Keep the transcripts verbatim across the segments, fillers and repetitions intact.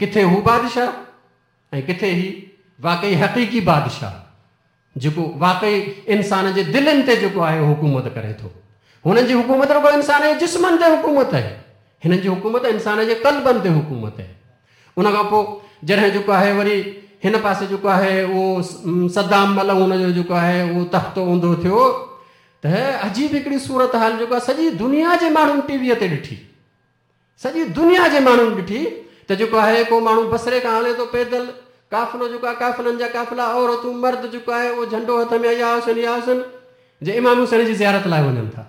ڪٿي هو بادشاهه ۽ ڪٿي هي واقعي حقيقي بادشاهه جيڪو واقعي انسان جي دلين تي جيڪو آهي حڪومت ڪري ٿو. هنن جي حڪومت رڳو انسان جي جسمن تي حڪومت آهي، هنن جي حڪومت انسان جي قلبن تي حڪومت آهي. ان کان پوءِ جڏهن جيڪو آهي وري هن پاسي جيڪو آهي اهو صدام ملعون جو جيڪو آهي اهو تختو اونڌو ٿيو ته عجيب هڪڙي صورت حال جيڪو آهي سڄي دنيا جي ماڻهن ٽي ويءَ تي ڏٺي، سڄي دنيا جي ماڻهن ڏٺي ته جيڪو آهي ڪو ماڻهو بصري کان هلي ٿو پيدل، قافلو جيڪو آهي قافلن جا قافلا، عورتون مرد جيڪو آهي اهو جهنڊو هٿ ۾ يا حسين يا حسين جي امام حسين جي زيارت لاءِ وڃن ٿا.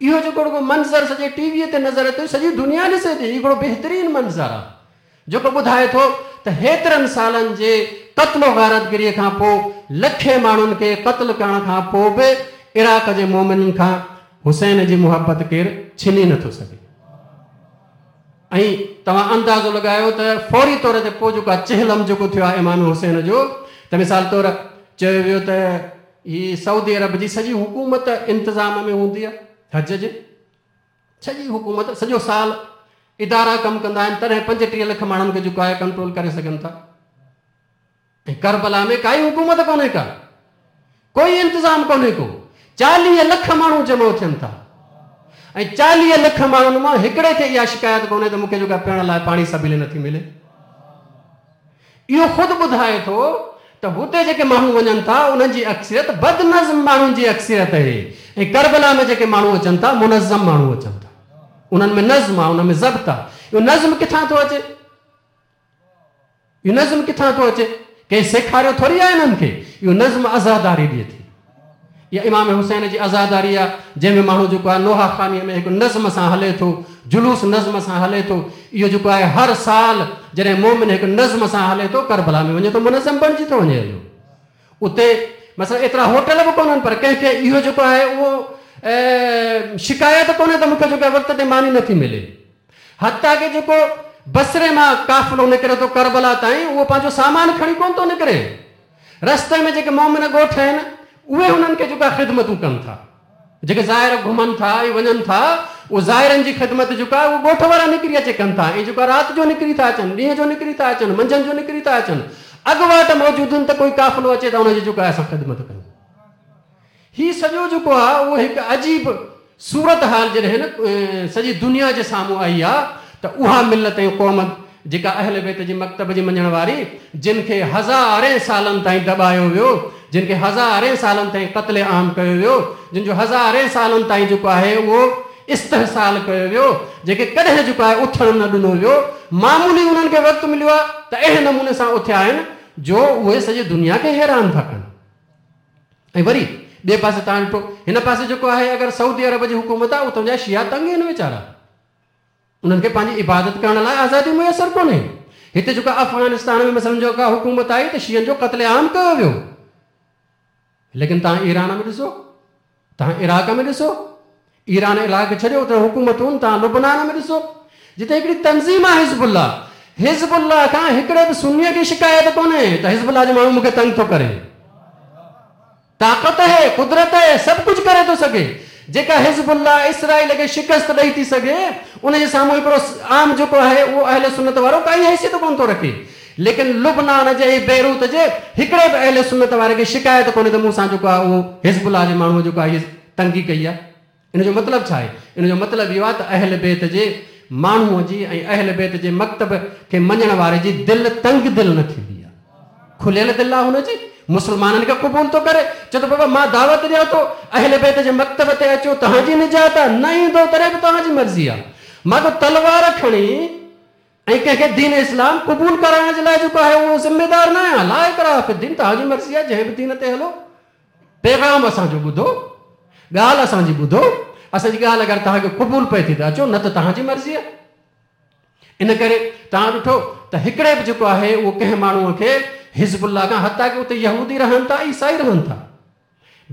اهو جيڪو رڳو منظر سڄي ٽي ويءَ تي نظر اچي، سڄي دنيا ڏسي ٿي، هڪڙو بهترين منظر آهي جيڪو ٻڌائي ٿو ته هيترن سالن جي قتل غارتگريءَ کان پوءِ لکين ماڻهن کي قتل ڪرڻ کان پوءِ به عراق جي مومنن کان حسين جي محبت ڪير ڇني نٿو سگهي. ۽ توهان اندازو لڳايو ته فوري طور تي پوءِ جيڪو آهي چهلم جيڪو ٿيو آهي امام حسين جو، ته مثال طور چيو ويو ته هيءَ سعودي عرب جي سڄي حڪومت انتظام ۾ هوندي آهي، حج جي سڄي حڪومت سڄو سال ادارا ڪم ڪندا آهن، تڏهن پنجٽيهه لک ماڻهن کي جيڪو آهي ڪنٽرول ڪري سگهن ٿا. ۽ ڪربلا ۾ ڪائي حڪومت ڪونهي ڪا، ڪوئي انتظام ڪونهي ڪو، چاليهه لک ماڻهو جمع ٿين ٿا ۽ چاليهه لک ماڻهن مان هڪڙي کي اها شڪايت ڪونهي ته مون کي جيڪا پيئڻ لاءِ پاڻي سبيل نٿي ملي. اهو خود ٻڌائي ٿو ته هتي جيڪي ماڻهو وڃن ٿا انهن جي اڪثريت بدنظم ماڻهن جي اڪثريت آهي ۽ ڪربلا ۾ جيڪي ماڻهو اچن ٿا منظم ماڻهو اچن ٿا، انهن ۾ نظم آهي، ان ۾ ضبط آهي. اهو نظم ڪٿان ٿو اچي؟ اهو نظم ڪٿان ٿو اچي؟ ڪنهن سيکاريو ٿوري آهي هنن کي. اهو نظم عزاداري ڏئي ٿي. اها امام حسين جي عزاداري آهي جنهن ۾ ماڻهو جيڪو آهي نوها خانيءَ ۾ هڪ نظم سان هلي ٿو، جلوس نظم سان هلي ٿو. اهو جيڪو آهي هر سال جڏهن مومن هڪ نظم سان هلي ٿو ڪربلا ۾ وڃي ٿو، منظم بڻجي ٿو وڃي هليو. اتي مثلاً ايترا هوٽل به ڪونهن، پر ڪنهن کي اهو جيڪو آهي اهو شڪايت ڪونهي ته مون کي جيڪو آهي وقت تي ماني نٿي ملي. حتيٰ ڪه جيڪو بصري مان قافلو نڪري ٿو ڪربلا تائين اهو پنهنجو سامان کڻي ڪونه ٿو نڪري. رستي ۾ جيڪي مومن ڳوٺ آهن اهي هنن کي جيڪا خدمتون ڪن ٿا، جيڪي ظاهر گهمن ٿا ۽ وڃن ٿا اهو ظاهرن جي خدمت جيڪا اهو ڳوٺ وارا نڪري اچي ڪن ٿا. ۽ جيڪا رات جو نڪري ٿا اچن، ڏينهن جو نڪري ٿا اچن، منجهند جو نڪري ٿا اچن، اڳواٽ موجود آهن ته ڪوئي قافلو اچي ته هن جي جيڪو آهي اسان خدمت ڪيون. هيءُ سڄو جيڪو آهي اهو هڪ عجيب صورت حال جڏهن سڄي دنيا جي سامهون آئي آهي ته اها ملت ۽ قوم جيڪا اهل بيت جي مڪتب جي مڃڻ واري، جن کي هزارين سالن تائين دٻايو ويو، جن کي هزارين سالن تائين قتل عام ڪيو ويو، جن جو هزارين سالن تائين جيڪو آهي اهو استحصال ڪيو ويو، جيڪي ڪڏهن جيڪو آهي اٿڻ نه ڏنو ويو، معمولي انهن کي وقت مليو آهي ته اهڙي نموني سان اٿيا آهن جو اهي سڄي دنيا کي حيران ٿا ڪن. ۽ وري ٻئي پاسي توهان ڏٺو هن پاسي جيڪو آهي اگر سعودي عرب جي حڪومت آهي اتان جا شيا تنگ آهن ويچارا، انهن کي پنهنجي عبادت ڪرڻ لاءِ آزادي ميسر ڪونهي. هتي جيڪا افغانستان ۾ مثلاً جيڪا حڪومت آئي ته شين جو قتل عام ڪيو ويو، ليڪن توهان ايران ۾ ڏسو، توهان عراق ۾ ڏسو، ايران عراق ڇڏيو اتي حڪومتون، توهان لبنان ۾ ڏسو جتي هڪڙي تنظيم آهي حزب الله، حزب الله کان هڪڙي به سنيءَ کي شڪايت ڪونهي ته حزب الله جو ماڻهو مون کي تنگ ٿو ڪري. طاقت آهي، قدرت آهي، سڀ ڪجهه ڪري ٿو سگهي. جيڪا حزب الله اسرائيل کي شڪست ڏيئي ٿي سگهي ان جي سامهون هڪڙو عام جيڪو آهي اهو اهل سنت وارو ڪائي حيثيت ڪونه ٿو رکي. ليڪن لبنان جي ۽ بيروت جي هڪڙي به اهل سنت واري کي شڪايت ڪونهي ته مون سان جيڪو آهي اهو حزب الله جي ماڻهوءَ جيڪو آهي تنگي ڪئي آهي. ان جو مطلب ڇا آهي؟ ان جو مطلب اهو آهي ته اهل بيت جي ماڻهوءَ جي ۽ اهل بيت جي مڪتب کي مڃڻ واري جي دل تنگ دل نه ٿيندي آهي، کليل دل آهي هن جي. مسلمانن کي قبول ٿو ڪري، چئي ٿو بابا مان دعوت ڏيان ٿو اهل بيت جي مڪتب تي اچو، توهان جي نجات آهي، نه ايندو تڏهن به توهان جي مرضي آهي. مان ڪو تلوار کڻي ۽ ڪنهن کي دين اسلام قبول ڪرائڻ جي لاءِ جيڪو آهي اهو ذميدار نه آهيان. لا اڪراهه في الدين، توهان جي مرضي آهي جنهن به دين تي هلو، پيغام اسان جو ٻڌو، ڳالهه اسان جي ٻڌو، اسان جي ڳالهه اگر توهان کي قبول پئي ٿي ته اچو، نه ته توهان جي مرضي آهي. ان ڪري توهان ڏٺو ته هڪڙي به جيڪو آهي اهو ڪنهن ماڻهوءَ کي حزب الله کان، حتيٰ ڪه اتي يهودي رهن ٿا، عيسائي رهن ٿا،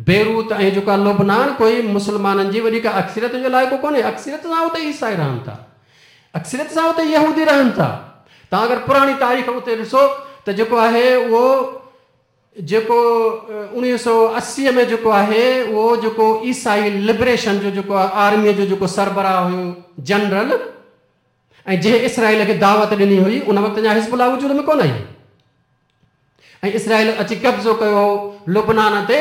بيروت ۽ جيڪو آهي لبنان ڪوئي مسلمانن جي وڏي ڪا اڪثريت جو علائقو ڪونهي، اڪثريت سان اتي عيسائي رهن ٿا، اڪثريت سان اتي يهودي رهن ٿا. توهان اگر پراڻي تاريخ اتي ڏسو ته جيڪو آهي اهو جيڪو اڻويهه سؤ اسيءَ ۾ جيڪو آهي اهو جيڪو عيسائي لبريشن جو جيڪو آهي آرميءَ جو جيڪو سربراهه هيو جنرل، ۽ جنهن اسرائيل کي دعوت ڏني هئي ان وقت اڃا حزب الله وجود ۾ ڪونه آئي ۽ اسرائيل اچي قبضو ڪيو هو لبنان تي،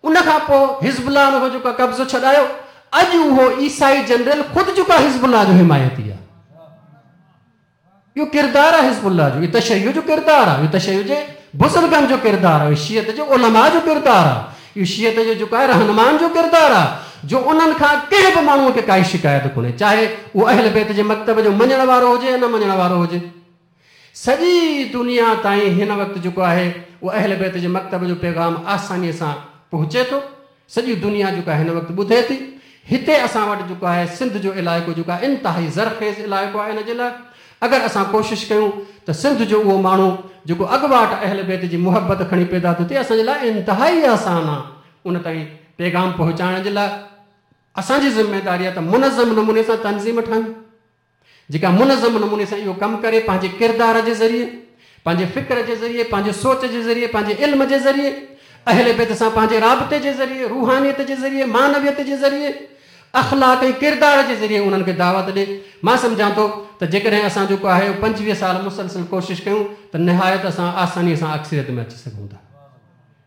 ان کان پوء حزب الله ان کان جيڪو قبضو ڇڏايو. اڄ اهو عيسائي جنرل خود جيڪو حزب الله جو حمايتي آهي. اهو ڪردار آهي حزب الله جو، اهو تشيع جو ڪردار آهي، اهو تشيع جي بزرگن جو ڪردار آهي، اهو شيعت جي علماء جو ڪردار آهي، اهو شيعت جو جيڪو آهي رهنمائن جو ڪردار آهي، جو انهن کان ڪنهن به ماڻهوء کي ڪائي شڪايت ڪونهي، چاهي اهو اهل بيت جي مڪتب جو مڃڻ وارو هجي يا نه مڃڻ وارو هجي. سڄي دنيا تائين هن وقت جيڪو آهي اهو اهل بيت جي مڪتب جو پيغام آسانيء سان پهچي ٿو. سڄي دنيا جيڪا هن وقت ٻڌي ٿي. هتي اسان وٽ جيڪو آهي سنڌ جو علائقو جيڪو آهي انتهائي زرخيز علائقو آهي، ان جي لاء اگر اسان ڪوشش ڪيون ته سنڌ جو اهو ماڻهو جيڪو اڳواٽ اهل بيت جي محبت کڻي پيدا ٿو ٿئي، اسان جي لاء انتهائي آسان آهي ان تائين پيغام پهچائڻ جي لاء. اسان جي ذميداري آهي ته منظم نموني سان تنظيم ٺاهيون جيڪا منظم نموني سان اهو ڪم ڪري، پنهنجي ڪردار جي ذريعي، پنهنجي فڪر جي ذريعي، پنهنجي سوچ جي ذريعي، پنهنجي علم جي ذريعي، اهل بيت سان پنهنجي رابطي جي ذريعي، روحانيت جي ذريعي، معنويت جي ذريعي، اخلاق ۽ ڪردار جي ذريعي انهن کي دعوت ڏي. مان سمجهان ٿو ته جيڪڏهن اسان جيڪو آهي پنجويهه سال مسلسل ڪوشش ڪيون ته نهايت اسان آسانيء سان اڪثريت ۾ اچي سگهون ٿا.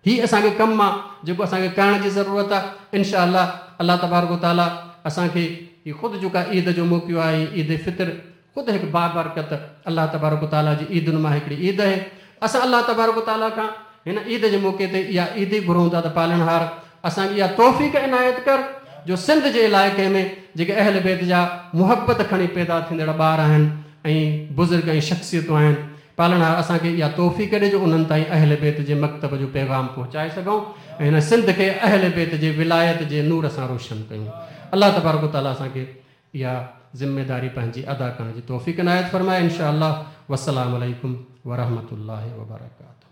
هي اسان کي ڪم آهي جيڪو اسان کي ڪرڻ جي ضرورت آهي. انشاء الله الله تبارڪ و تعاليٰ اسان کي هي خود جيڪا عيد جو موقعو آهي، عيد فطر خود هڪ بابرڪت الله تبارڪ و تعاليٰ جي عيدن مان هڪڙي عيد آهي. اسان الله تبارڪ و تعاليٰ کان هن عيد جي موقعي تي اها عيد ئي گهرون ٿا ته پالڻهار اسان کي اها توفيق عنايت ڪر جو سنڌ جي علائقي ۾ جيڪي اهل بيت جا محبت کڻي پيدا ٿيندڙ ٻار آهن ۽ بزرگ ۽ شخصيتون آهن، پالڻهار اسان کي اها توفيق ڏي جو انهن تائين اهل بيت جي مڪتب جو پيغام پهچائي سگهون ۽ هن سنڌ کي اهل بيت جي ولايت جي نور سان روشن ڪيون. الله تبارڪ و تعاليٰ اسان کي اها ذميداري پنهنجي ادا ڪرڻ جي توفيق عنايت فرمائي انشاء الله. والسلام عليڪم ورحمة الله وبرڪاته.